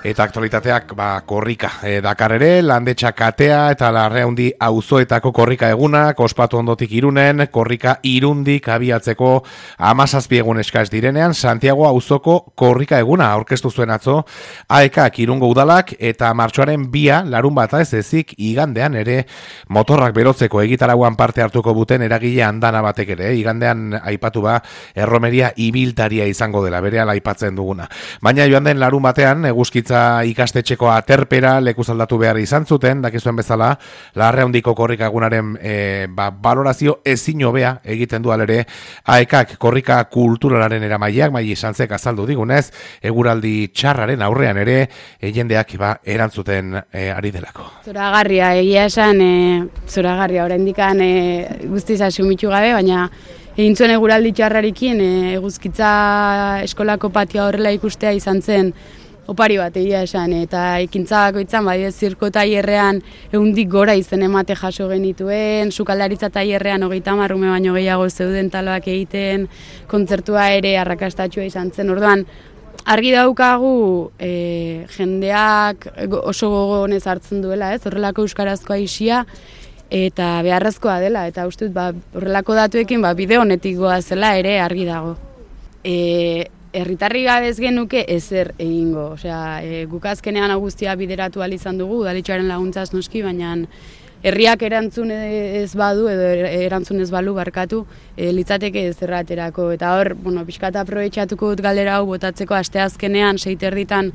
Eta aktualitateak korrika dakar ere, Landetxa katea eta Larraundi auzoetako korrika egunak, ospatu ondotik Irunen, korrika Irundik abiatzeko 17 egun eskaz direnean, Santiago auzoko korrika eguna aurkeztu zuen atzo, AEKak Irungo udalak eta martxoaren 2 larunbata ez ezik igandean ere motorrak berotzeko egitarauan parte hartuko buten eragile andana batek ere, igandean aipatu erromeria ibiltaria izango dela, berehala aipatzen duguna. Baina joan den larun batean, eguzkitza ikastetxeko aterpera lekuz aldatu behar izan zuten, dakizuen bezala, Larraundiko korrika egunaren balorazio ezin hobea egiten du alere AEKak korrika kulturalaren eramaileak, Mai Sanzek azaldu digunez, eguraldi txarraren aurrean ere, jendeak erantzuten ari delako. Zoragarria, egia esan, zoragarria, oraindikan guztiz asumitu gabe, baina egin zuen eguraldi txarrarekin, eguzkitza eskolako patioa horrela ikustea izan zen opari bat egia esan, eta ekintza bakoitzan, zirko tailerrean 100 gora izen emate jaso genituen, sukaldaritza tailerrean 30 ume baino gehiago zeuden taloak egiten, kontzertua ere arrakastatxua izan zen, orduan, argi daukagu jendeak oso gogonez hartzen duela, horrelako euskarazkoa isia, eta beharrezkoa dela, eta uste dut horrelako datuekin bide honetik goazela ere argi dago. Herritarri gabe ez genuke ezer egingo, guk azkenean guztia bideratu ahal izan dugu, udaletxearen laguntzaz noski, baina herriak erantzun ez badu edo erantzun ez balu barkatu, litzateke ezer aterako, eta hor, pixkat aprobetxatuko dut galdera hau botatzeko asteazkenean 6:00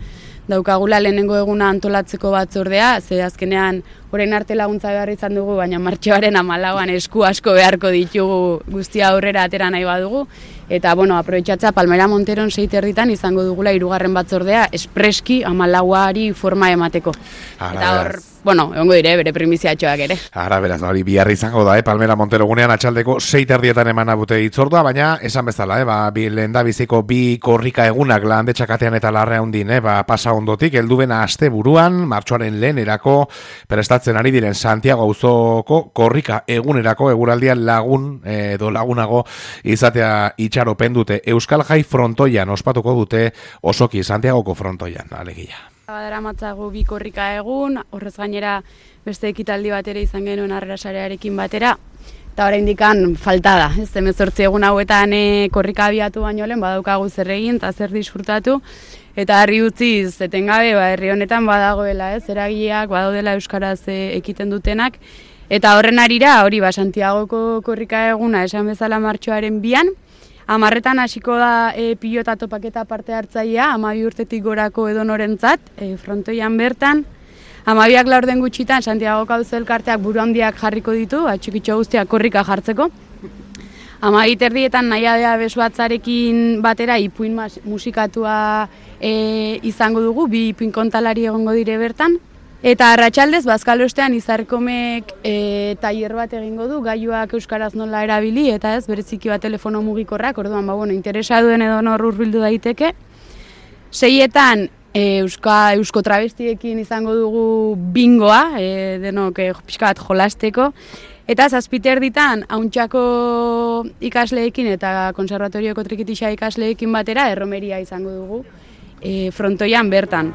daukagula lehenengo eguna antolatzeko batzordea, ze azkenean orain arte laguntza behar izan dugu, baina martxoaren 14an esku asko beharko ditugu guztia aurrera atera nahi badugu, eta aprobetxatza Palmera Monteron 6:00 izango dugula 3. batzordea espreski 14ari forma emateko. Eta hor, egongo dire, bere primiziatxoak ere. Ara, beraz, hori biharri izango da, Palmera Montero gunean atxaldeko 6:00 emana bute itzordua, baina esan bezala, lehendabiziko 2 korrika egunak Landetxa katean eta Larraundin, pasa ondotik, heldubena aste buruan, martxoaren lehenerako prestatzen ari diren Santiago auzoko korrika egunerako eguraldian lagunago izatea itxaropen dute. Euskal Jai frontoian ospatuko dute osoki Santiagoko frontoian, alegia. Badara matzago 2 korrika egun, horrez gainera beste ekitaldi bat ere izan genuen Harrera Sarearekin batera, eta oraindikan falta da, 18 egun hauetan korrika abiatu baino lehen badaukagu zer egin eta zer disfrutatu, eta harri utziz etengabe herri honetan badagoela, eragileak badaudela euskaraz ekiten dutenak, eta horren harira hori Santiagoko korrika eguna esan bezala martxoaren 2an, 10:00 hasiko da pilota topaketa parte hartzailea, 12 urtetik gorako edonorentzat, frontoian bertan. 12ak laurden gutxitan Santiagoko auzo elkarteak buru handiak jarriko ditu, txikitxo guztiak korrika jartzeko. 12:30 nahiadea besuatzarekin batera ipuin musikatua izango dugu, 2 ipuin kontalari egongo dire bertan. Eta arratsaldez Bazkalostean Izarkomek tailer bat egingo du, gailuak euskaraz nola erabili, eta bereziki telefono mugikorrak, orduan interesa duen edo nor hurbildu daiteke. 6etan eusko travestiekin izango dugu bingoa, denok pixka bat jolasteko, eta 7:30 Auntxako ikasleekin eta konservatorioko trikitixa ikasleekin batera erromeria izango dugu frontoian bertan.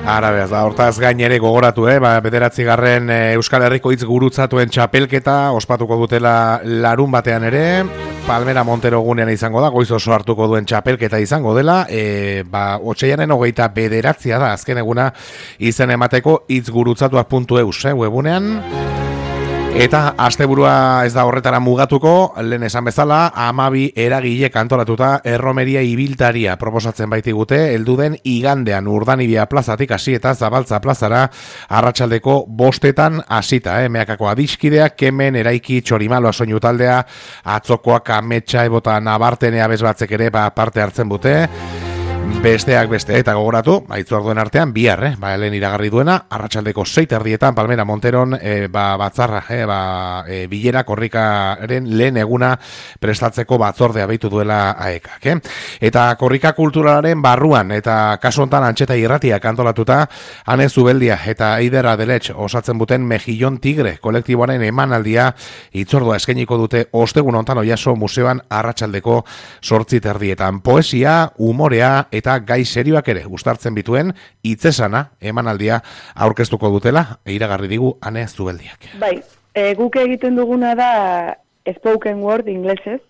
Hortaz gain ere gogoratu, 9. Euskal Herriko hitz gurutzatuen txapelketa ospatuko dutela larun batean ere, Palmera Montero gunean izango da, goiz oso hartuko duen txapelketa izango dela, otsaiaren 29 da, azken eguna izen emateko hitzgurutzatuak.eus webunean. Eta asteburua ez da horretara mugatuko, lehen esan bezala, 12 eragile antolatuta erromeria ibiltaria proposatzen baitigute, helduden igandean Urdanibia plazatik hasi eta Zabaltza plazara arratsaldeko 5:00 hasita, meakako adiskideak, Kemen, Eraiki, Txorimaloa soinu taldea, Atzokoak, Ametsa, Ebota, Nabartenea bezbatzek ere parte hartzen bute. Besteak beste, eta gogoratu, itzorduen artean, bihar, lehen iragarri duena, arratsaldeko 6:00 Palmera Monteron, batzarra, bilera korrikaren lehen eguna prestatzeko batzordea beitu duela AEKak. Eta korrika kulturalaren barruan, eta kasu hontan Antxeta Irratiak antolatuta, Ane Zubeldia eta Eider Adeletx osatzen buten Mejillon Tigre kolektiboaren emanaldia itzordua eskainiko dute ostegun hontan Oiaso museoan arratsaldeko 8:30. Poesia, umorea, eta gai serioak ere uztartzen bituen hitzesana emanaldia aurkeztuko dutela, iragarri digu Ane Zubeldiak. Bai, guk egiten duguna da spoken word inglesez,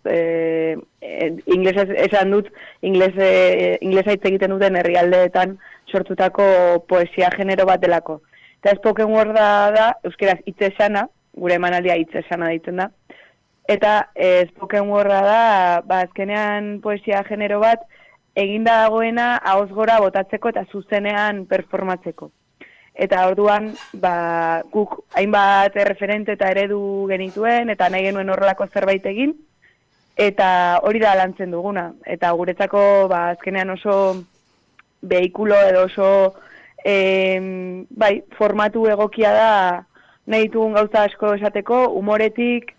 inglesez esan dut, inglesa hitz egiten duten herrialdeetan sortutako poesia genero bat delako. Eta spoken word da euskeraz hitz esana, gure emanaldia hitz esana deitzen da. Eta spoken worda da, azkenean poesia genero bat eginda dagoena ahoz gora botatzeko eta zuzenean performatzeko. Eta orduan, guk hainbat referente eta eredu genituen, eta nahi genuen horrelako zerbait egin, eta hori da lantzen duguna. Eta guretzako, azkenean oso behikulo edo oso formatu egokia da nahi ditugun gauza asko esateko, humoretik,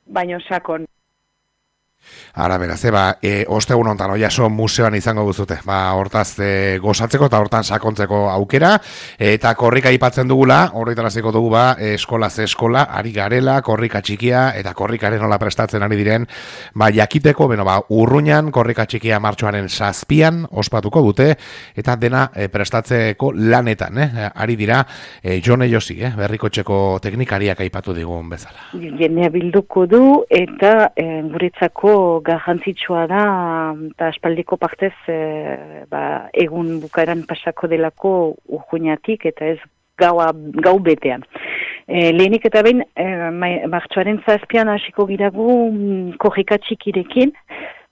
baino sakon. Ara, beraz, ostegun hontan Oiaso museoan izango duzute. Hortaz gozatzeko eta hortan sakontzeko aukera. Eta korrika aipatzen dugula, horretaraziko dugu eskolaz eskola, ari garela, korrika txikia, eta korrikaren nola prestatzen ari diren, jakiteko, urruñan, korrika txikia martxoaren 7an ospatuko dute, eta dena prestatzeko lanetan, ari dira, Jone Josi, berrikotxeko teknikariak aipatu digun bezala. Jendea bilduko du, eta guretzako garrantzitsua da, eta aspaldiko partez egun bukaeran pasako delako urruñatik, eta ez gau betean. Lehenik eta behin, martxoaren 7an hasiko giragu korrika txikirekin,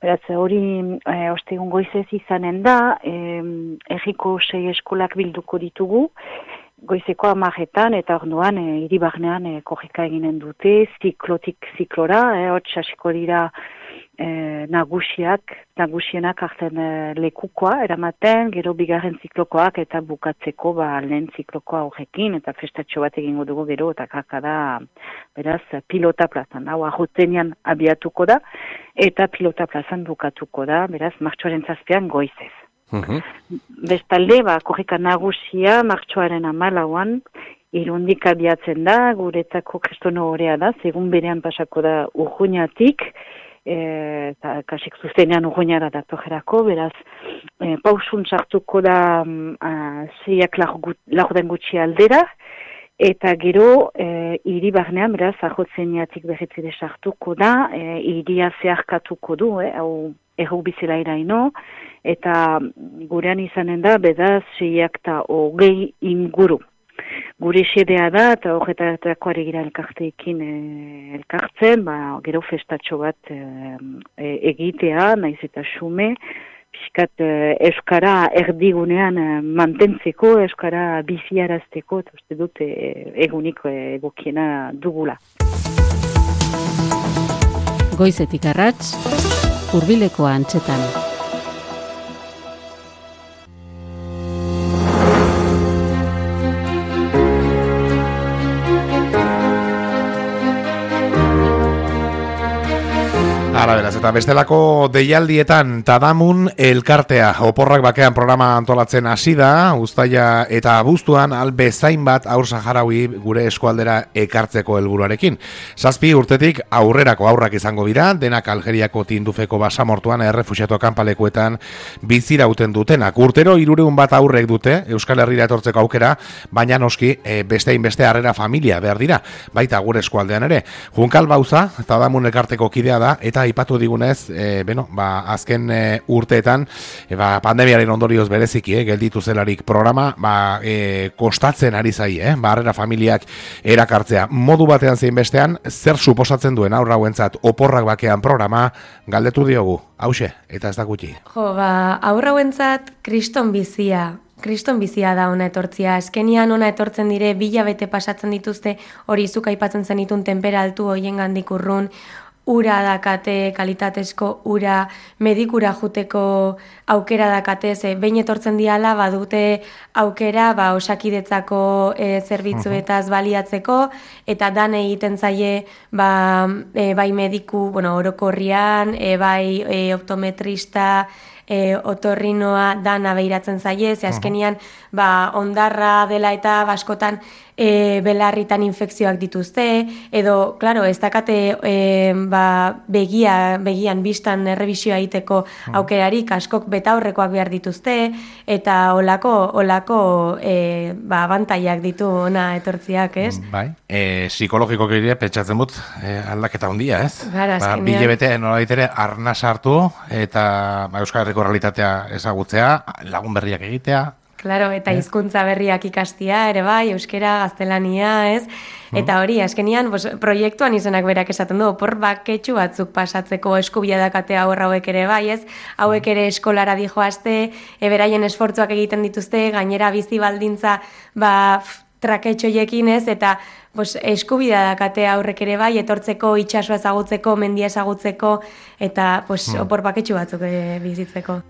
beraz hori ostegun goizez izanen da, erriko 6 eskolak bilduko ditugu, goizeko 10etan, eta orduan hiri barnean korrika eginen dute, ziklotik ziklora, hotz hasiko dira nagusienak hartzen lekukoa eramaten, gero bigarren ziklokoak eta bukatzeko lehen ziklokoa horrekin, eta festatxo bat egingo dugu gero, eta kakada beraz pilota plazan, hau arrotenean abiatuko da, eta pilota plazan bukatuko da, beraz martxoaren 7an goizez. Bestalde, korrika nagusia martxoaren 14an irundik abiatzen da, guretzako kristono horea da, segun berean pasako da urruñatik, eta kasik zuzenean urruñara datorrerako, beraz pausun sartuko da 6ak laurden gutxi aldera, eta gero hiri barnean, beraz, arrotzeniatik berretzide sartuko da, hiria zeharkatuko du, hau erru bizela iraino, eta gurean izanen da, bedaz, 620 inguru. Gure xedea da, eta horretarako ari gira elkarteekin elkartzen, gero festatxo bat egitea, naiz eta xume, pixkat euskara erdigunean mantentzeko, euskara biziarazteko, eta uste dut eguniko egokiena dugula. Goizetik arrats, Hurbileko antxetan. Beraz, eta bestelako deialdietan Tadamun elkartea oporrak bakean programa antolatzen hasi da, uztaila eta abuztuan bezain bat haur saharaui gure eskualdera ekartzeko helburuarekin. 7 urtetik aurrerako haurrak izango dira, denak Aljeriako Tindufeko basamortuan errefuxiatu kanpalekuetan bizirauten dutenak. Urtero 300 bat aurrek dute Euskal Herrira etortzeko aukera, baina noski bestein beste harrera familia behar dira, baita gure eskualdean ere. Junkal Bauza, Tadamun elkarteko kidea da, eta aipatu digunez, azken urteetan, pandemiaren ondorioz bereziki, gelditu zelarik programa, kostatzen ari zai, harrera familiak erakartzea. Modu batean zein bestean, zer suposatzen duen aurra hauentzat oporrak bakean programa, galdetu diogu, hauxe, eta ez da gutxi. Aurra hauentzat kriston bizia da ona etortzia. Eskenian ona etortzen dire, 2 hilabete pasatzen dituzte, hori zuk aipatzen zenitun tenpera altu hoien gandik urrun, ura dakate, kalitatezko ura, medikura juteko aukera dakate, behin etortzen diala, badute aukera, osakidetzako zerbitzuetaz baliatzeko, eta dan egiten zaie, bai mediku, orokorrian, bai optometrista, otorrinoa dana behiratzen zaie, ze azkenian ondarra dela eta askotan belarritan infekzioak dituzte, edo, klaro, ez dakate begian bistan errebisioa egiteko aukerarik, askok betaurrekoak behar dituzte, eta olako abantaiak ditu ona etortziak, ez? Bai, psikologiko gire pentsatzen dut aldaketa handia, ez? Gara, azkenean. Bilebete nolabait ere arna sartu eta Euskal Herriko realitatea ezagutzea, lagun berriak egitea. Claro, eta hizkuntza berriak ikastia ere bai, euskera, gaztelania, ez? Eta hori, azkenian, proiektuan izenak berak esaten du, opor baketxu batzuk pasatzeko eskubia dakatea hauek ere bai, ez? Hauek ere eskolara dijoazte, beraien esfortzuak egiten dituzte, gainera bizi baldintza, traketxoiekin, ez? Eta eskubida dakate aurrek ere bai, etortzeko, itxasua ezagutzeko, mendia ezagutzeko, eta opor baketxu batzuk bizitzeko.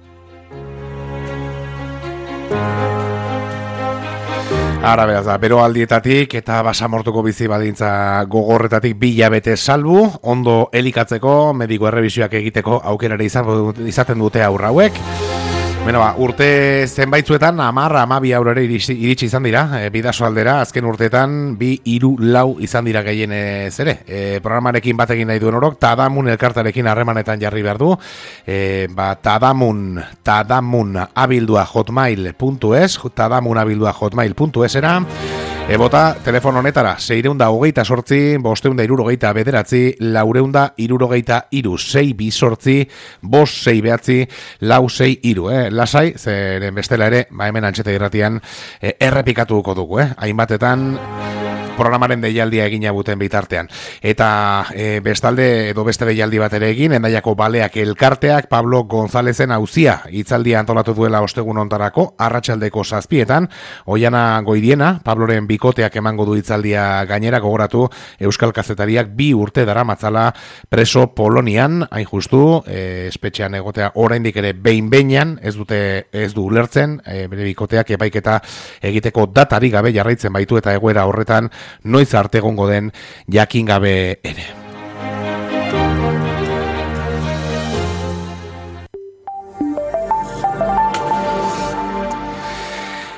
Ara beraz da, beroaldietatik eta basamortuko bizi badintza gogorretatik 2 hilabete salbu, ondo elikatzeko, mediko errebisioak egiteko aukerare izaten dute aurra hauek. Beno urte zenbaitzuetan 10-12 eurore iritsi izan dira, bidaso aldera, azken urteetan 2-3 izan dira gehienez ere. Programarekin batekin nahi duen orok, Tadamun elkartarekin harremanetan jarri behar du. Tadamun abildua hotmail.es, Tadamun abildua hotmail.es era. Bota, telefono honetara, 628, 569, 469, 6 5 6 lasai, zeren bestela ere, hemen Antxeta Irratian errepikatuko dugu, hainbatetan programaren deialdia egina buten bitartean. Eta bestalde edo beste deialdi bat ere egin, Hendaiako Baleak elkarteak Pablo Gonzalezen auzia hitzaldia antolatu duela ostegun hontarako, arratsaldeko 7:00, Oiana Goidiena, Pabloren bikoteak emango du hitzaldia gainera gogoratu Euskal Kazetariak 2 urte daramatzala preso Polonian, hain justu, espetxean egotea oraindik ere behin-behinean, ez du ulertzen, bere bikoteak epaiketa egiteko datarik gabe jarraitzen baitu eta egoera horretan noiz arte egongo den jakin gabe ere.